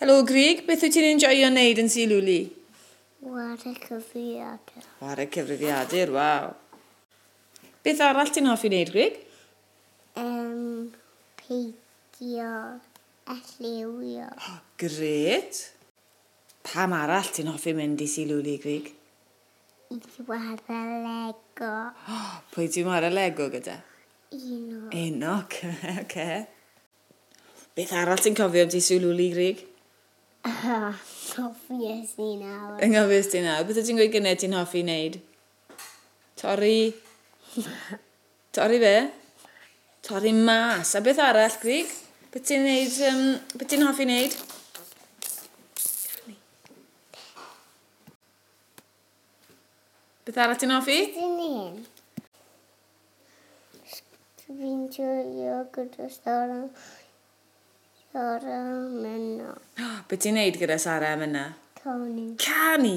Helo Grug, beth wyt ti'n enjoio wneud yn Sul Lwli? Ware cyfrifiadur. Ware cyfrifiadur, waw. Beth arall ti'n hoffi wneud, Grug? Peidio a lliwio. Oh, gret. Pam arall ti'n hoffi mynd i Sul Lwli, Grug? I chwarae Lego. Oh, pwy ti'n chwarae Lego gyda? Enoch. Enoch, oce. Okay. Beth arall ti'n cofio am ti Sul Lwli, Grug? Anghofio i nawr. Anghofio ti nawr. Beth wyt ti'n gweud gynnau ti'n hoffi wneud? Torri... Torri be? Torri mas. A beth arall, Grug? Beth ti'n neud, beth ti'n hoffi wneud? Canu. Beth arall ti'n hoffi? Dwi'n hyn. Fi'n joio gyda Sara. Sara Menna. Beth ti'n neud gyda Sara a Menna? Canu. Canu?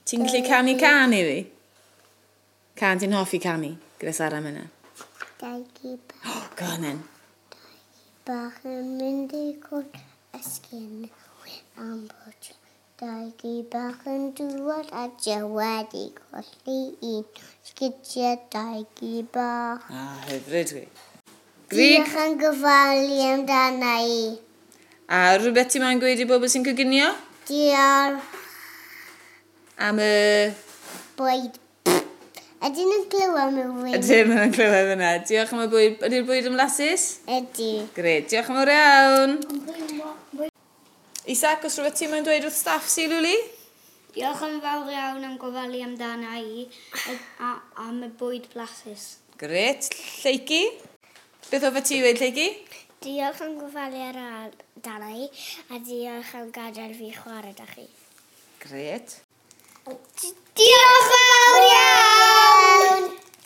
Ti'n gallu canu can i fi? Can ti'n hoffi canu gyda Sara a Menna? Dau gi bach. Oh, go on then. Dau gi bach yn mynd i cwrt esgyn am bwt. Dau gi bach yn dŵad a wedi colli un. Sgidiau dau gi bach. Ah, hyfryd dwi. Diolch yn gyfalu amdana i. A rhywbeth ti'n moyn gweud i bobl sy'n coginio? Diolch. Am y... Bwyd. Ydyn nhw'n clywed mewn fwy? Ydyn nhw'n clywed fyna. Diolch am y bwyd. Ydy'r bwyd yn flasus? Ydy. Gret. Diolch yn fawr iawn. Isaac, os rhywbeth ti'n moyn dweud wrth staff si, Lwli? Diolch yn fawr iawn am gofalu amdana i a am y bwyd blasus. Gret. Lleucu? Beth hoffet ti weud, Lleucu? Diolch am gofalu amdana i a diolch am gadael fi chwarae da chi. Gret. Diolch!